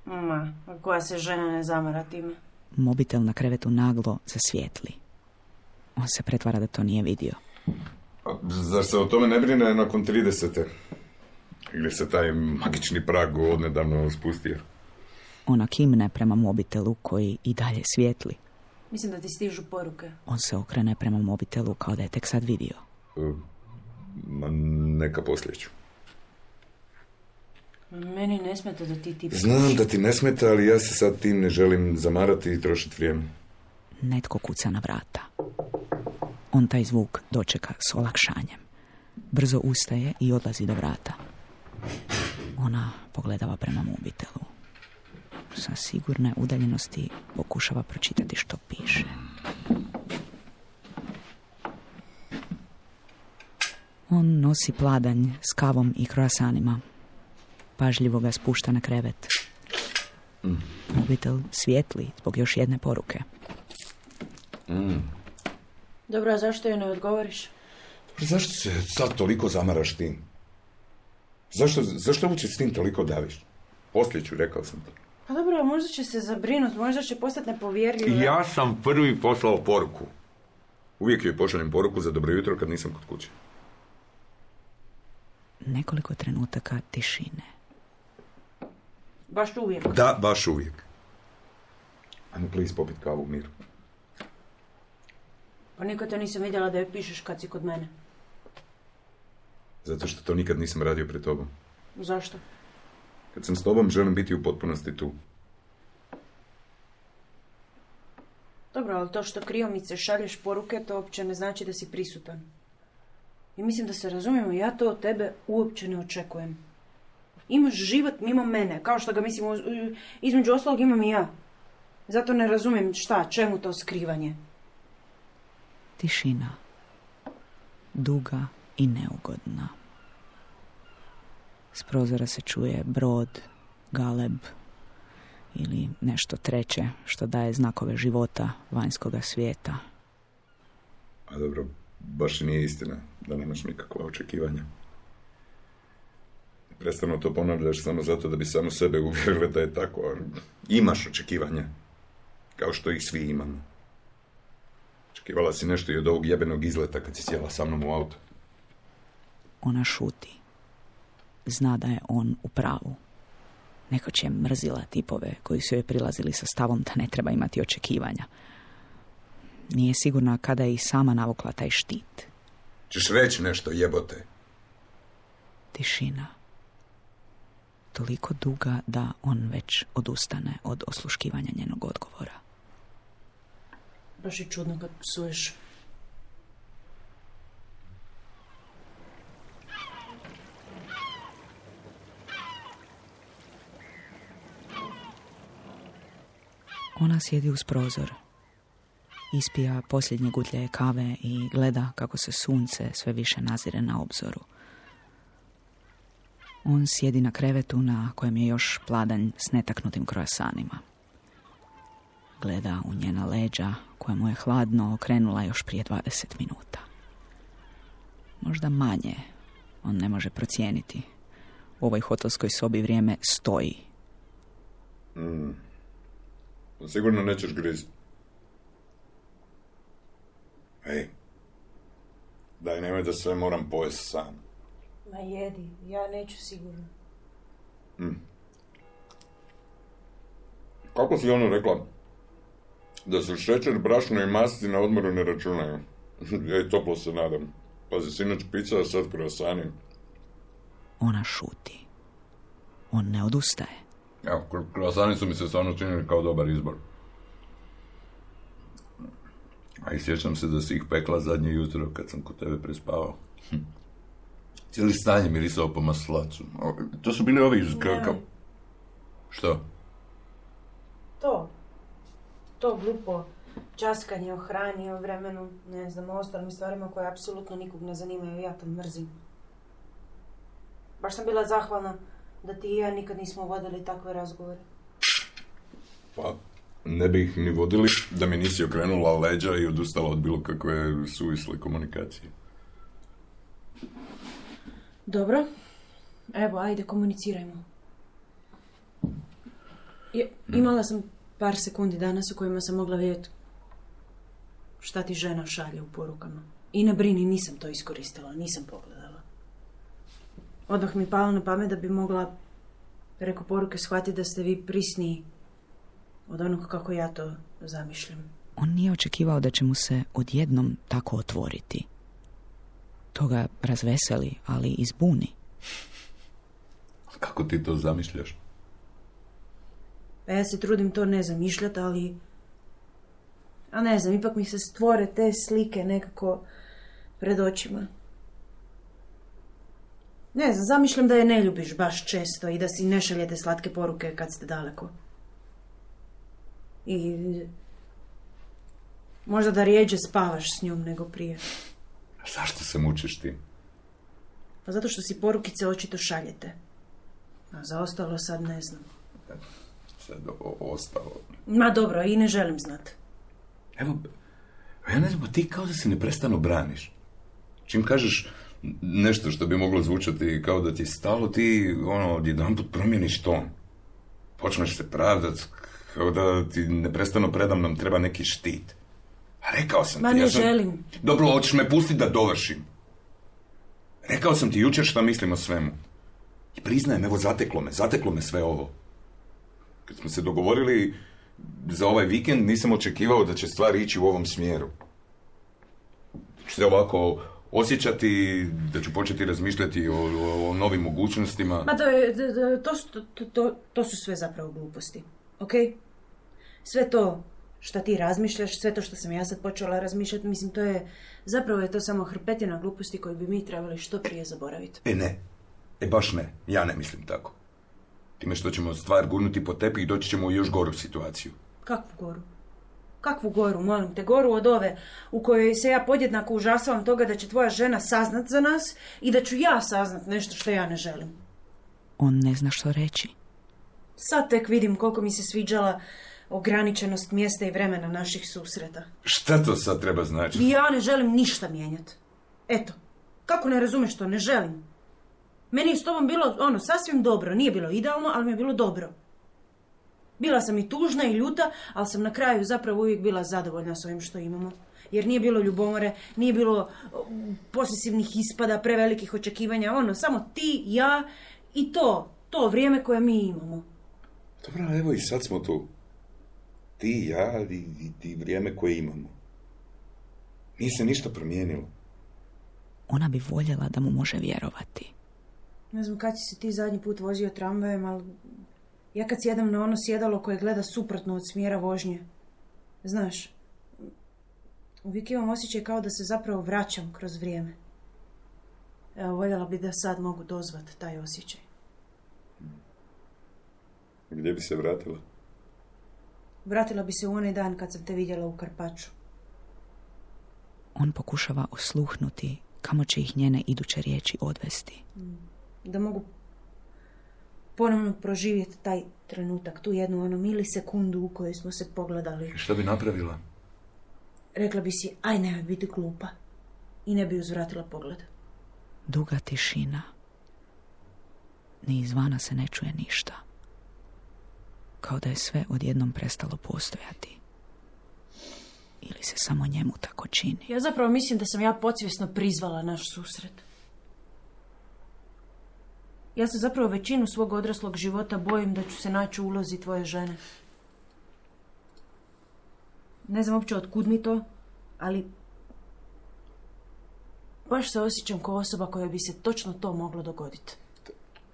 Ma, koja se žena ne zamara time? Mobitel na krevetu naglo zasvijetli. On se pretvara da to nije vidio. A zar se o tome ne brine nakon 30. Ili se taj magični prag odnedavno spustio? Ona kimne prema mobitelu koji i dalje svijetli. Mislim da ti stižu poruke. On se okrene prema mobitelu kao da je tek sad vidio. Ma neka poslije ću. Meni ne smeta da ti Znam da ti ne smeta, ali ja se sad tim ne želim zamarati i trošiti vrijeme. Netko kuca na vrata. On taj zvuk dočeka s olakšanjem. Brzo ustaje i odlazi do vrata. Ona pogledava prema mobitelu. Sa sigurne udaljenosti pokušava pročitati što piše. On nosi pladanj s kavom i kroasanima. Pažljivo ga spušta na krevet. Mobitel svijetli zbog još jedne poruke. Dobro, a zašto joj ne odgovoriš? Zašto se sad toliko zamaraš tim? Zašto uopće s tim toliko daviš? Poslije ću, rekao sam ti. Pa dobro, možda će se zabrinuti, možda će postati nepovjerljiva. Ja sam prvi poslao poruku. Uvijek joj pošaljem poruku za dobro jutro kad nisam kod kuće. Nekoliko trenutaka tišine. Baš uvijek? Da, baš uvijek. Ajmo, please, popit kavu u miru. Pa nikad te nisam vidjela da joj pišeš kad si kod mene. Zato što to nikad nisam radio pred tobom. Zašto? Kad sam s tobom, želim biti u potpunosti tu. Dobro, ali to što kriomice šalješ poruke, to uopće ne znači da si prisutan. I mislim da se razumijemo, ja to od tebe uopće ne očekujem. Imaš život mimo mene, kao što ga mislim, između ostalog imam i ja. Zato ne razumijem čemu to skrivanje. Tišina. Duga i neugodna. S prozora se čuje brod, galeb ili nešto treće što daje znakove života vanjskoga svijeta. A dobro, baš nije istina da nemaš nikakva očekivanja. Prestano to ponavljaš samo zato da bi samo sebe uvjerila da je tako. Imaš očekivanja, kao što ih svi imamo. Očekivala si nešto i od ovog jebenog izleta kad si sjela sa mnom u auto. Ona šuti. Zna da je on u pravu. Nekoć je mrzila tipove koji su joj prilazili sa stavom da ne treba imati očekivanja. Nije sigurna kada je i sama navukla taj štit. Češ reći nešto, jebote? Tišina. Toliko duga da on već odustane od osluškivanja njenog odgovora. Baš je čudno kad psuješ. Ona sjedi uz prozor. Ispija posljednje gutlje kave i gleda kako se sunce sve više nazire na obzoru. On sjedi na krevetu na kojem je još pladanj s netaknutim kroasanima. Gleda u njena leđa koja mu je hladno okrenula još prije 20 minuta. Možda manje, on ne može procijeniti. U ovoj hotelskoj sobi vrijeme stoji. Sigurno nećeš griziti. Ej, daj, nemoj da sve moram pojesti sam. Ma jedi, ja neću sigurno. Kako si ono rekla? Da se šećer, brašno i masti na odmoru ne računaju. Ej, toplo se nadam. Pazi, sinoć pizza, a sad kroasani. Ona šuti. On ne odustaje. Evo, kroasani su mi se stvarno činili kao dobar izbor. A i sjećam se da si ih pekla zadnje jutro kad sam kod tebe prespavao. Cijeli stan je mirisao po maslacu. To su bili ovi kao... Što? To glupo časkanje o hrani, o vremenu, ne znam, o ostalim stvarima koje apsolutno nikog ne zanimaju, ja to mrzim. Baš sam bila zahvalna da ti i ja nikad nismo vodili takve razgovore. Pa, ne bi ih ni vodili da mi nisi okrenula leđa i odustala od bilo kakve suvisle komunikacije. Dobro. Evo, ajde, komunicirajmo. Imala sam par sekundi danas u kojima sam mogla vidjeti šta ti žena šalje u porukama. I ne brini, nisam to iskoristila, nisam pogledala. Odmah mi palo na pamet da bi mogla preko poruke shvatiti da ste vi prisniji od onog kako ja to zamišljam. On nije očekivao da će mu se odjednom tako otvoriti. To ga razveseli, ali i zbuni. Kako ti to zamišljaš? Pa ja se trudim to ne zamišljati, ali... A ne znam, ipak mi se stvore te slike nekako pred očima. Ne znam, zamišljam da je ne ljubiš baš često i da si ne šaljete slatke poruke kad ste daleko. I... možda da rijeđe spavaš s njom nego prije. A zašto se mučiš ti? Pa zato što si porukice očito šaljete. A za ostalo sad ne znam. Sad ostalo... Ma dobro, i ne želim znat. Evo, ja ne znam, ti kao da se neprestano braniš. Čim kažeš nešto što bi moglo zvučati kao da ti je stalo, ti odjedanput promijeniš ton. Počneš se pravdat kao da ti neprestano predamnom treba neki štit. A rekao sam ti... Ma ne želim. Dobro, hoćeš me pustiti da dovršim. Rekao sam ti jučer šta mislim o svemu. I priznajem, evo, zateklo me sve ovo. Kad smo se dogovorili za ovaj vikend, nisam očekivao da će stvari ići u ovom smjeru. Ću se ovako osjećati, da ću početi razmišljati o novim mogućnostima. Ma to su sve zapravo gluposti, ok? Sve to što ti razmišljaš, sve to što sam ja sad počela razmišljati, mislim, zapravo je to samo hrpetina gluposti koju bi mi trebali što prije zaboraviti. Baš ne, ja ne mislim tako. Time što ćemo stvar gurnuti po tepih i doći ćemo u još goru situaciju. Kakvu goru? Kakvu goru, molim te? Goru od ove u kojoj se ja podjednako užasavam toga da će tvoja žena saznat za nas i da ću ja saznat nešto što ja ne želim. On ne zna što reći. Sad tek vidim koliko mi se sviđala ograničenost mjesta i vremena naših susreta. Šta to sad treba značiti? I ja ne želim ništa mijenjati. Eto, kako ne razumeš to? Ne želim. Meni je s tobom bilo, sasvim dobro. Nije bilo idealno, ali mi je bilo dobro. Bila sam i tužna i ljuta, ali sam na kraju zapravo uvijek bila zadovoljna s ovim što imamo. Jer nije bilo ljubomore, nije bilo posesivnih ispada, prevelikih očekivanja. Samo ti, ja i to vrijeme koje mi imamo. Dobro, evo i sad smo tu. Ti, ja i vrijeme koje imamo. Nije se ništa promijenilo. Ona bi voljela da mu može vjerovati. Ne znam kad si se ti zadnji put vozio tramvajem, ali ja kad sjedam na ono sjedalo koje gleda suprotno od smjera vožnje, znaš, uvijek imam osjećaj kao da se zapravo vraćam kroz vrijeme. Evo, voljela bi da sad mogu dozvat taj osjećaj. Gdje bi se vratila? Vratila bi se u onaj dan kad sam te vidjela u Karpaču. On pokušava osluhnuti kamo će ih njene iduće riječi odvesti. Da mogu ponovno proživjeti taj trenutak, tu jednu milisekundu u kojoj smo se pogledali. Šta bi napravila? Rekla bi si, aj nemoj biti glupa. I ne bi uzvratila pogled. Duga tišina. Ni izvana se ne čuje ništa. Kao da je sve odjednom prestalo postojati. Ili se samo njemu tako čini. Ja zapravo mislim da sam ja podsvjesno prizvala naš susret. Ja se zapravo većinu svog odraslog života bojim da ću se naći u ulozi tvoje žene. Ne znam uopće otkud mi to, ali baš se osjećam kao osoba koja bi se točno to moglo dogoditi.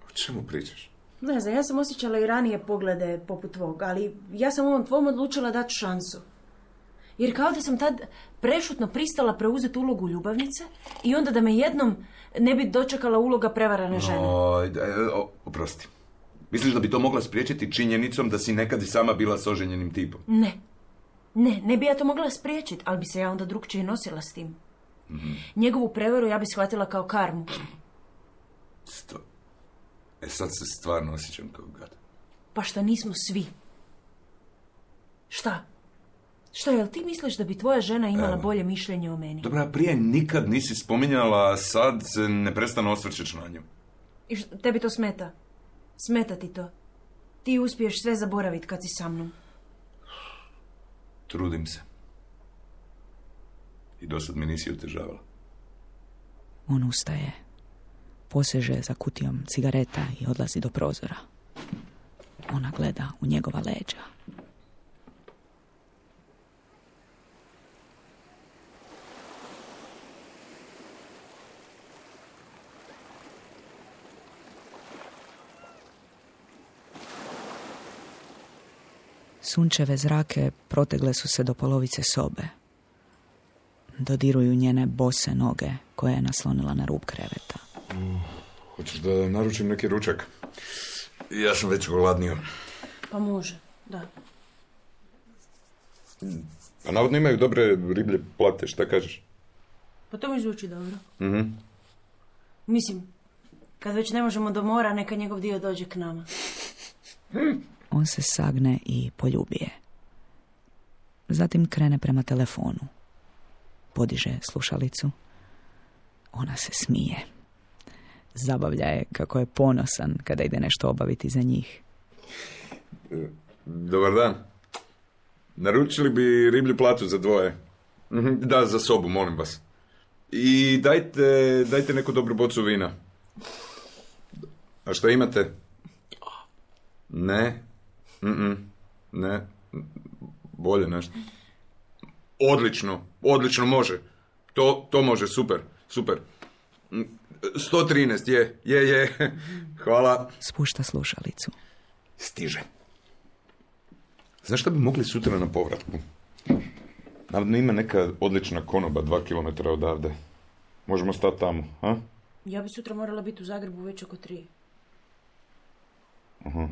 O čemu pričaš? Ne znam, ja sam osjećala i ranije poglede poput tvog, ali ja sam ovom tvom odlučila dati šansu. Jer kao da sam tad prešutno pristala preuzeti ulogu ljubavnice i onda da me jednom ne bi dočekala uloga prevarane žene. Oprosti. Misliš da bi to mogla spriječiti činjenicom da si nekad i sama bila s oženjenim tipom? Ne bi ja to mogla spriječiti, ali bi se ja onda drugčije nosila s tim. Njegovu prevaru ja bi shvatila kao karmu. Sad se stvarno osjećam kao gad. Pa šta nismo svi? Šta, jel ti misliš da bi tvoja žena imala bolje mišljenje o meni? Dobra, prije nikad nisi spominjala, a sad se ne prestano osvrćeš na nju. I tebi to smeta? Smeta ti to? Ti uspiješ sve zaboraviti kad si sa mnom. Trudim se. I dosad mi nisi otežavala. On ustaje, poseže za kutijom cigareta i odlazi do prozora. Ona gleda u njegova leđa. Sunčeve zrake protegle su se do polovice sobe. Dodiruju njene bose noge koje je naslonila na rub kreveta. Hoćeš da naručim neki ručak? Ja sam već gladnio. Pa može, da. Pa navodno imaju dobre riblje plate, šta kažeš? Pa to mi zvuči dobro. Mislim, kad već ne možemo do mora, neka njegov dio dođe k nama. On se sagne i poljubije. Zatim krene prema telefonu. Podiže slušalicu. Ona se smije. Zabavlja je kako je ponosan kada ide nešto obaviti za njih. Dobar dan. Naručili bi riblju platu za dvoje. Da, za sobu, molim vas. I dajte neku dobru bocu vina. A što imate? Ne. Ne. Bolje nešto. Odlično može. To može, super. 113, je. Hvala. Spušta slušalicu. Stiže. Znaš šta bi mogli sutra na povratku? Navodno ima neka odlična konoba 2 kilometra odavde. Možemo stati tamo, a? Ja bi sutra morala biti u Zagrebu već oko 3. Aha.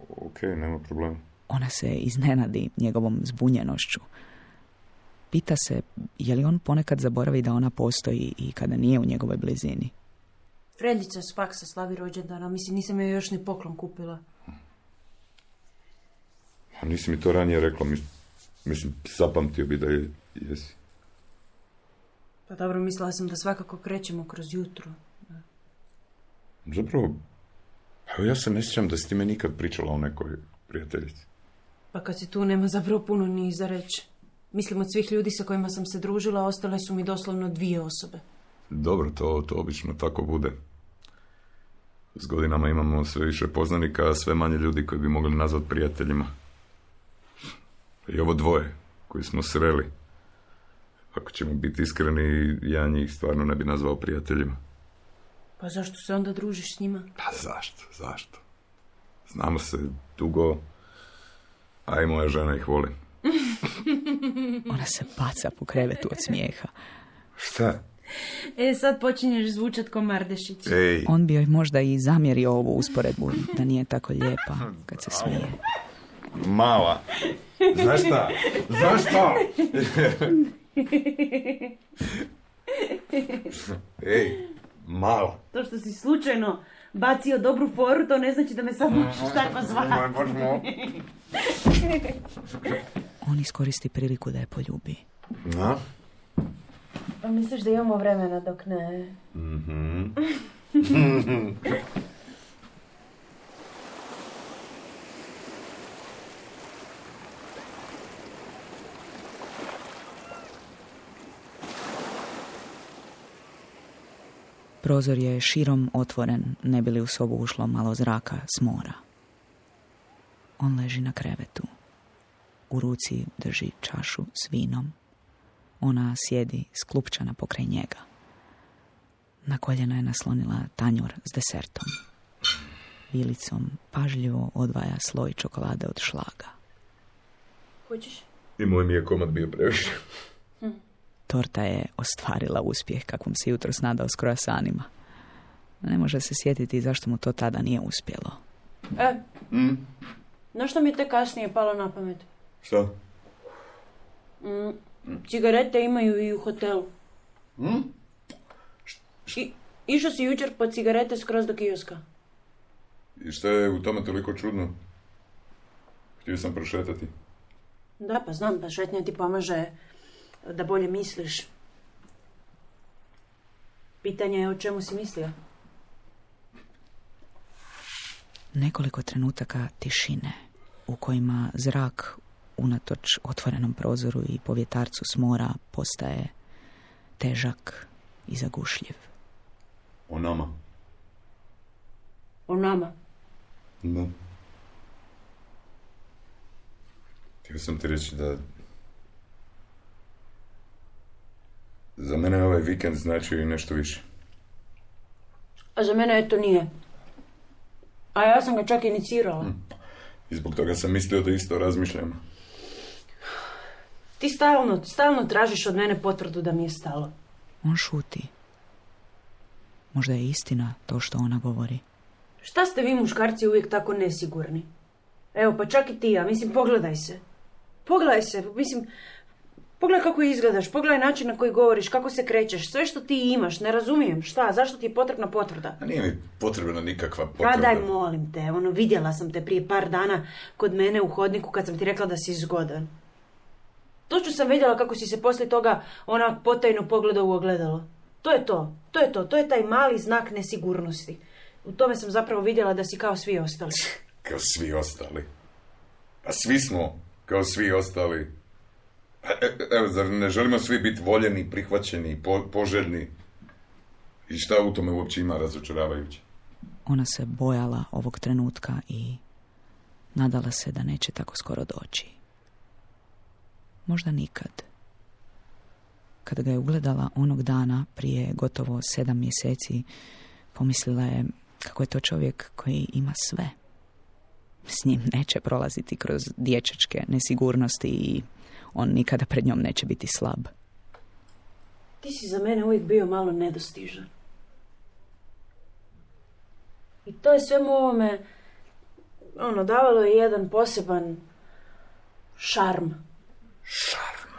Okej, nema problema. Ona se iznenadi njegovom zbunjenošću. Pita se, je li on ponekad zaboravi da ona postoji i kada nije u njegovoj blizini. Freljica s faksa slavi rođendana, mislim, nisam joj još ni poklon kupila. A nisi mi to ranije rekla, mislim, zapamtio bi da jesi. Pa dobro, mislila sam da svakako krećemo kroz jutro. Da. Zapravo, ja se ne sjećam da si ti me nikad pričala o nekoj prijateljici. Pa kad si tu, nema zapravo puno ni za reći. Mislim, od svih ljudi sa kojima sam se družila, ostale su mi doslovno 2 osobe. Dobro, to obično tako bude. S godinama imamo sve više poznanika, a sve manje ljudi koji bi mogli nazvati prijateljima. I ovo 2 koji smo sreli. Ako ćemo biti iskreni, ja njih stvarno ne bi nazvao prijateljima. Pa zašto se onda družiš s njima? Pa zašto? Znamo se dugo, a i moja žena ih voli. Ona se baca po krevetu od smijeha. Šta? Sad počinješ zvučat ko Mardešić. Ej. On bi joj možda i zamjerio ovu usporedbu, da nije tako lijepa kad se smije. Mala. Znaš šta? Ej, mala. To što si slučajno bacio dobru foru, to ne znači da me sad možeš takva zvati. On iskoristi priliku da je poljubi. Na? Pa misliš da imamo vremena dok ne? Prozor je širom otvoren, ne bi li u sobu ušlo malo zraka s mora. On leži na krevetu. U ruci drži čašu s vinom. Ona sjedi sklupčana pokraj njega. Na koljena je naslonila tanjur s desertom. Vilicom pažljivo odvaja sloj čokolade od šlaga. Hoćeš? I moj mi je komad bio previše. Torta je ostvarila uspjeh kakvom se jutros nadao s kroasanima. Ne može se sjetiti zašto mu to tada nije uspjelo. Znaš što mi je te kasnije palo na pamet? Šta? Cigarete imaju i u hotelu. Išao si jučer po cigarete skroz do kioska. I šta je u tome toliko čudno? Htio sam prošetati. Da, pa znam, pa šetnja ti pomaže da bolje misliš. Pitanje je o čemu si mislio. Nekoliko trenutaka tišine u kojima zrak unatoč otvorenom prozoru i povjetarcu s mora postaje težak i zagušljiv. O nama. O nama? Da. Htio sam ti reći da za mene ovaj vikend značio i nešto više. A za mene to nije. A ja sam ga čak inicirala. I zbog toga sam mislio da isto razmišljam. Ti stalno tražiš od mene potvrdu da mi je stalo. On šuti. Možda je istina to što ona govori. Šta ste vi muškarci uvijek tako nesigurni? Evo, pa čak i ti, ja mislim, pogledaj se. Pogledaj se, mislim, pogledaj kako izgledaš, pogledaj način na koji govoriš, kako se krećeš, sve što ti imaš, ne razumijem, šta, zašto ti je potrebna potvrda? A nije mi potrebna nikakva potvrda. Pa daj, molim te, vidjela sam te prije par dana kod mene u hodniku kad sam ti rekla da si zgodan. Točno sam vidjela kako si se poslije toga onak potajno pogledao u ogledalo. To je taj mali znak nesigurnosti. U tome sam zapravo vidjela da si kao svi ostali. Kao svi ostali? A svi smo kao svi ostali. Evo, zar ne želimo svi biti voljeni, prihvaćeni, poželjni? I šta u tome uopće ima razočaravajuće? Ona se bojala ovog trenutka i nadala se da neće tako skoro doći. Možda nikad. Kada ga je ugledala onog dana prije gotovo 7 mjeseci, pomislila je kako je to čovjek koji ima sve. S njim neće prolaziti kroz dječačke nesigurnosti i on nikada pred njom neće biti slab. Ti si za mene uvijek bio malo nedostižan. I to je svemu ovome, davalo je jedan poseban šarm. Šarm?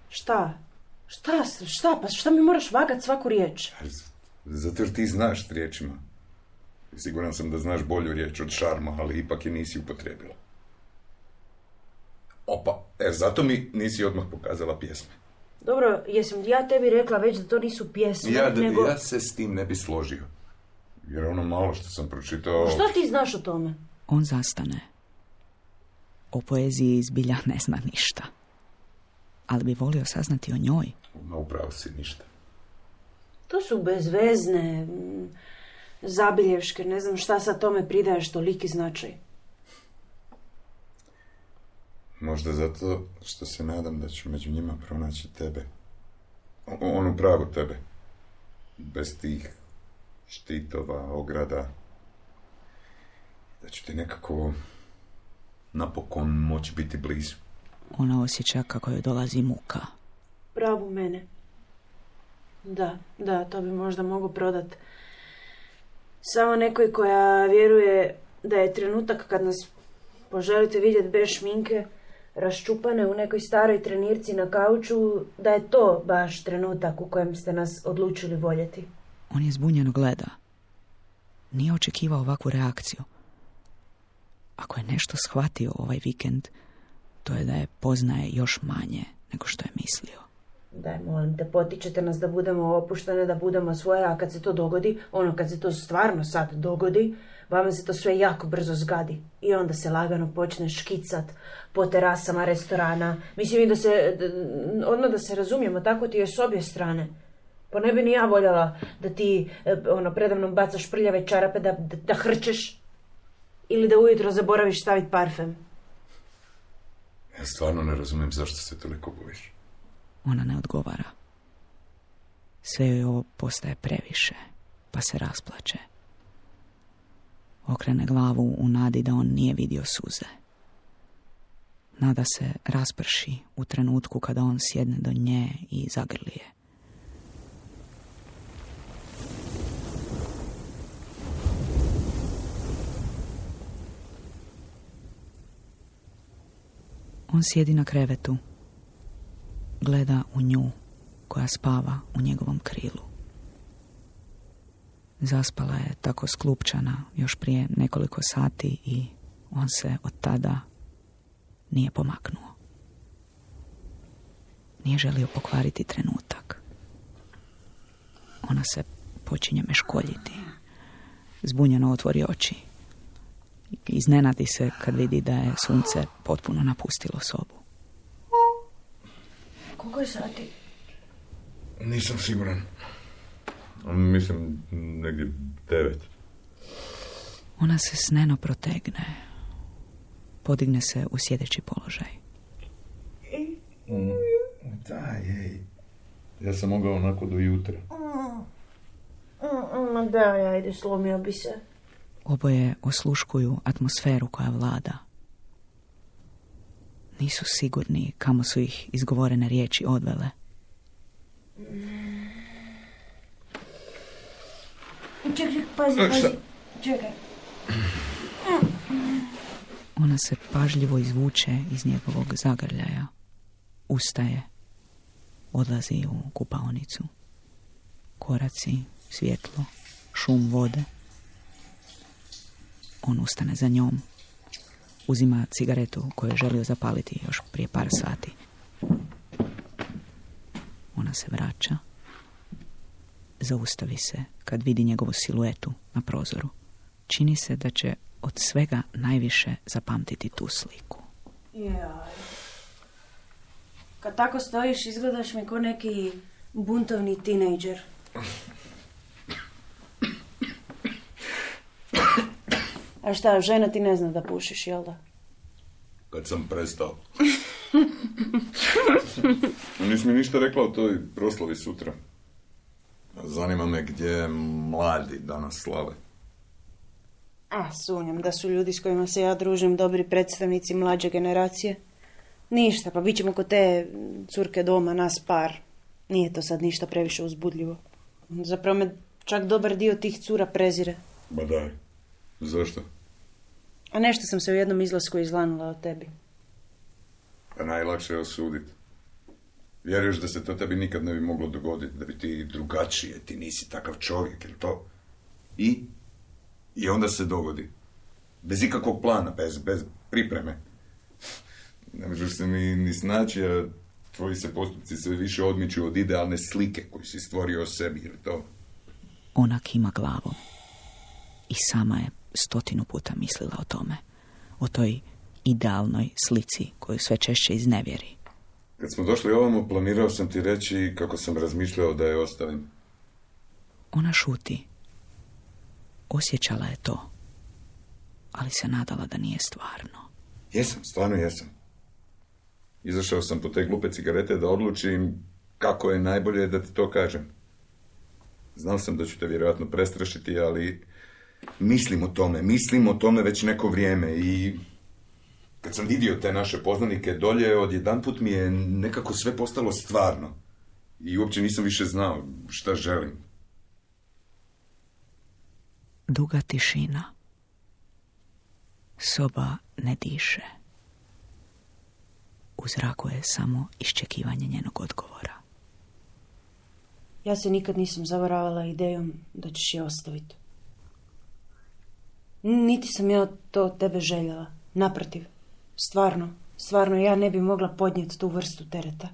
Šta? Pa šta mi moraš vagat svaku riječ? Zato jer ti znaš s riječima. Siguran sam da znaš bolju riječ od šarma, ali ipak je nisi upotrijebila. Opa, zato mi nisi odmah pokazala pjesme. Dobro, jesam ja tebi rekla već da to nisu pjesme, nego... Ja se s tim ne bi složio. Jer ono malo što sam pročitao... Što ti znaš o tome? On zastane. O poeziji zbilja ne zna ništa. Ali bi volio saznati o njoj. Ma upravo si ništa. To su bezvezne zabilješke, ne znam šta sad tome pridaješ toliki značaj. Možda zato što se nadam da ću među njima pronaći tebe. Onu pravu tebe. Bez tih štitova, ograda. Da ću ti nekako napokon moći biti blizu. Ona osjeća kako joj dolazi muka. Pravu mene. Da, to bi možda mogu prodat. Samo nekoj koja vjeruje da je trenutak kad nas poželite vidjeti bez šminke, raščupane u nekoj staroj trenirci na kauču, da je to baš trenutak u kojem ste nas odlučili voljeti. On je zbunjeno gleda. Nije očekivao ovakvu reakciju. Ako je nešto shvatio ovaj vikend, to je da je poznaje još manje nego što je mislio. Daj, molim te, potičete nas da budemo opuštene, da budemo svoje, a kad se to dogodi, kad se to stvarno sad dogodi, vama se to sve jako brzo zgadi. I onda se lagano počne škicat po terasama restorana. Mislim i odmah da se razumijemo, tako ti je s obje strane. Pa ne bi ni ja voljela da ti predavnom bacaš prljave čarape, da hrčeš ili da ujutro zaboraviš staviti parfem. Ja stvarno ne razumijem zašto se toliko bojiš. Ona ne odgovara. Sve joj ovo postaje previše, pa se rasplače. Okrene glavu u nadi da on nije vidio suze. Nada se rasprši u trenutku kada on sjedne do nje i zagrli je. On sjedi na krevetu. Gleda u nju koja spava u njegovom krilu. Zaspala je tako sklupčana još prije nekoliko sati i on se od tada nije pomaknuo. Nije želio pokvariti trenutak. Ona se počinje meškoljiti. Zbunjeno otvori oči. Iznenadi se kad vidi da je sunce potpuno napustilo sobu. Koliko je sati? Nisam siguran. Mislim, negdje 9. Ona se sneno protegne. Podigne se u sjedeći položaj. Daj, ej. Ja sam mogao onako do jutra. Ma daj, ajde, slomio bi se. Oboje osluškuju atmosferu koja vlada. Nisu sigurni kamo su ih izgovorene riječi odvele. Čekaj, pazi. Čekaj. Ona se pažljivo izvuče iz njegovog zagrljaja. Ustaje. Odlazi u kupaonicu. Koraci, svjetlo, šum vode. On ustane za njom. Uzima cigaretu koju je želio zapaliti još prije par sati. Ona se vraća. Zaustavi se kad vidi njegovu siluetu na prozoru. Čini se da će od svega najviše zapamtiti tu sliku. Jaj. Kad tako stojiš, izgledaš mi ko neki buntovni tinejdžer. A šta, žena ti ne zna da pušiš, jel da? Kad sam prestao. Nisi mi ništa rekla o toj proslavi sutra. Zanima me gdje mladi danas slave. Sumnjam da su ljudi s kojima se ja družim dobri predstavnici mlađe generacije. Ništa, pa bit ćemo kod te curke doma, nas par. Nije to sad ništa previše uzbudljivo. Zapravo me čak dobar dio tih cura prezire. Ba daj, zašto? A nešto sam se u jednom izlasku izlanula od tebi. Pa najlakše je osuditi. Vjeruješ da se to tebi nikad ne bi moglo dogoditi, da bi ti drugačije, ti nisi takav čovjek, jel to? I onda se dogodi. Bez ikakvog plana, bez pripreme. Ne možeš se ni snaći, a tvoji se postupci sve više odmiču od idealne slike koju si stvorio o sebi, jel to? Ona kima glavom. I sama je 100 puta mislila o tome. O toj idealnoj slici koju sve češće iznevjeri. Kad smo došli ovamo, planirao sam ti reći kako sam razmišljao da je ostavim. Ona šuti. Osjećala je to, ali se nadala da nije stvarno. Jesam, stvarno jesam. Izašao sam po te glupe cigarete da odlučim kako je najbolje da ti to kažem. Znao sam da ću te vjerojatno prestrašiti, ali mislim o tome već neko vrijeme i kad sam vidio te naše poznanike dolje, odjedanput mi je nekako sve postalo stvarno. I uopće nisam više znao šta želim. Duga tišina. Soba ne diše. U zraku je samo iščekivanje njenog odgovora. Ja se nikad nisam zavaravala idejom da ćeš je ostaviti. Niti sam ja to od tebe željela. Naprotiv. Stvarno, ja ne bi mogla podnijeti tu vrstu tereta.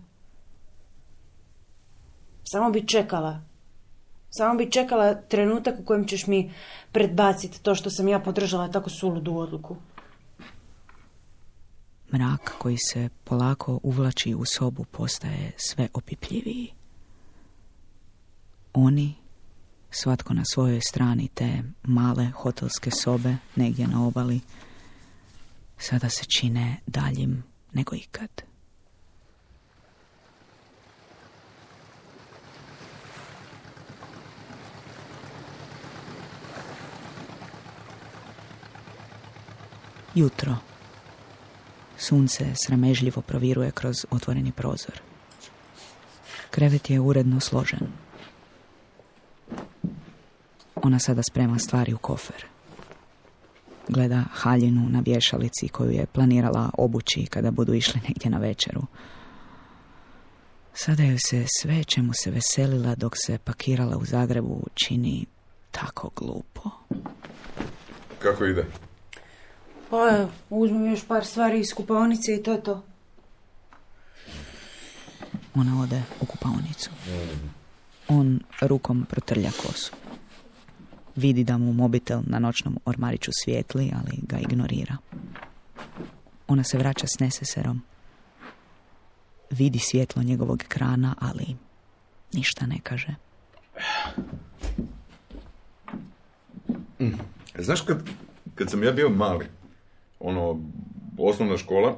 Samo bi čekala trenutak u kojem ćeš mi predbaciti to što sam ja podržala tako suludu odluku. Mrak koji se polako uvlači u sobu postaje sve opipljiviji. Oni, svatko na svojoj strani te male hotelske sobe negdje na obali, sada se čine daljim nego ikad. Jutro. Sunce sramežljivo proviruje kroz otvoreni prozor. Krevet je uredno složen. Ona sada sprema stvari u kofer. Gleda haljinu na vješalici koju je planirala obući kada budu išli negdje na večeru. Sada joj se sve čemu se veselila dok se pakirala u Zagrebu čini tako glupo. Kako ide? Pa, uzmem još par stvari iz kupaonice i to je to. Ona ode u kupaonicu. On rukom protrlja kosu. Vidi da mu mobitel na noćnom ormariću svijetli, ali ga ignorira. Ona se vraća s neseserom. Vidi svjetlo njegovog ekrana, ali ništa ne kaže. Znaš, kad sam ja bio mali, osnovna škola,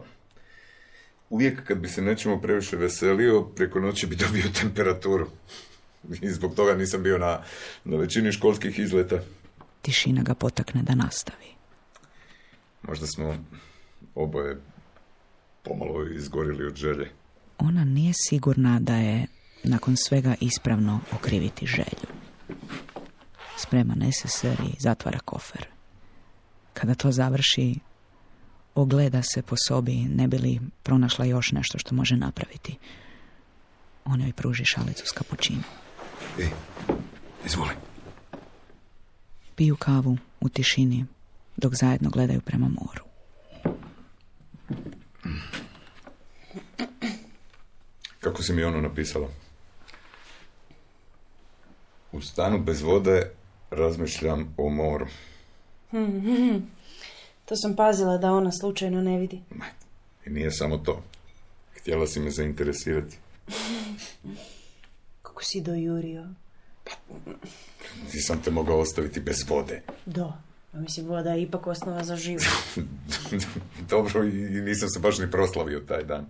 uvijek kad bi se nečemu previše veselio, preko noći bi dobio temperaturu. I zbog toga nisam bio na većini školskih izleta. Tišina ga potakne da nastavi. Možda smo oboje pomalo izgorili od želje. Ona nije sigurna da je nakon svega ispravno okriviti želju. Sprema neseser i zatvara kofer. Kada to završi, ogleda se po sobi, ne bi li pronašla još nešto što može napraviti. Ona joj pruži šalicu s kapućinom. Izvoli. Piju kavu u tišini dok zajedno gledaju prema moru. Kako si mi ono napisala? U stanu bez vode razmišljam o moru. To sam pazila da ona slučajno ne vidi. I nije samo to. Htjela si me zainteresirati. Kako si dojurio? Nisam te mogao ostaviti bez vode. Da. Mislim, voda je ipak osnova za život. Dobro, i nisam se baš ni proslavio taj dan.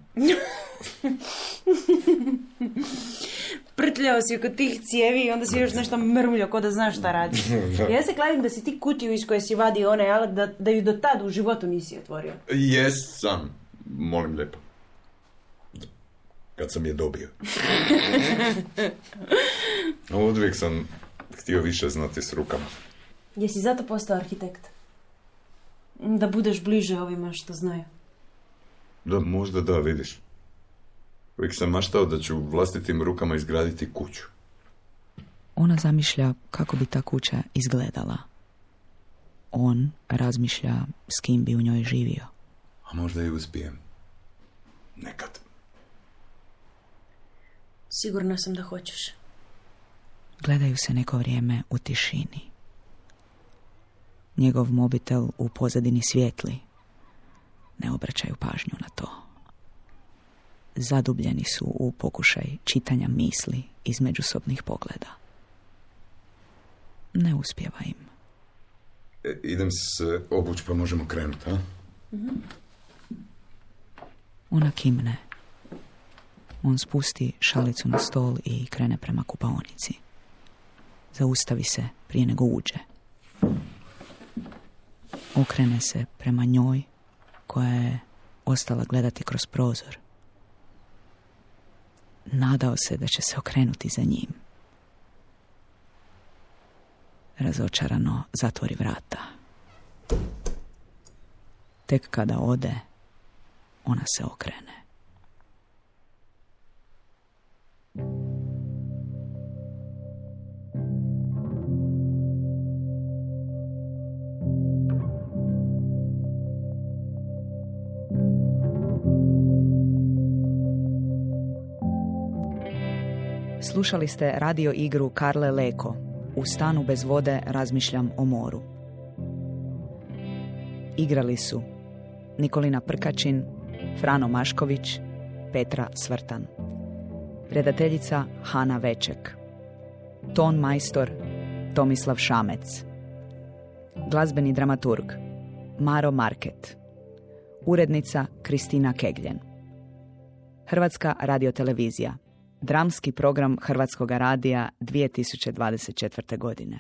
Prtljao si oko tih cijevi i onda si još nešto mrmljao ko da znaš šta radiš. Ja se kladim da si ti kutiju iz koje si vadio onaj alat da ju do tada u životu nisi otvorio. Jesam, molim lijepo. Kad sam je dobio. Uvijek sam htio više znati s rukama. Jesi zato postao arhitekt? Da budeš bliže ovima što znaju. Da, možda da, vidiš. Uvijek sam maštao da ću vlastitim rukama izgraditi kuću. Ona zamišlja kako bi ta kuća izgledala. On razmišlja s kim bi u njoj živio. A možda i uspijem. Nekad. Sigurna sam da hoćeš. Gledaju se neko vrijeme u tišini. Njegov mobitel u pozadini svijetli. Ne obraćaju pažnju na to. Zadubljeni su u pokušaj čitanja misli iz međusobnih pogleda. Ne uspijeva im. Idem se obući pa možemo krenuti, a? Mm-hmm. Ona kimne. On spusti šalicu na stol i krene prema kupaonici. Zaustavi se prije nego uđe. Okrene se prema njoj koja je ostala gledati kroz prozor. Nadao se da će se okrenuti za njim. Razočarano zatvori vrata. Tek kada ode, ona se okrene. Slušali ste radio igru Karle Leko. U stanu bez vode razmišljam o moru. Igrali su Nikolina Prkačin, Frano Mašković, Petra Svrtan. Redateljica Hana Veček. Ton majstor Tomislav Šamec. Glazbeni dramaturg Maro Market. Urednica Kristina Kegljen. Hrvatska radiotelevizija. Dramski program Hrvatskog radija 2024. godine.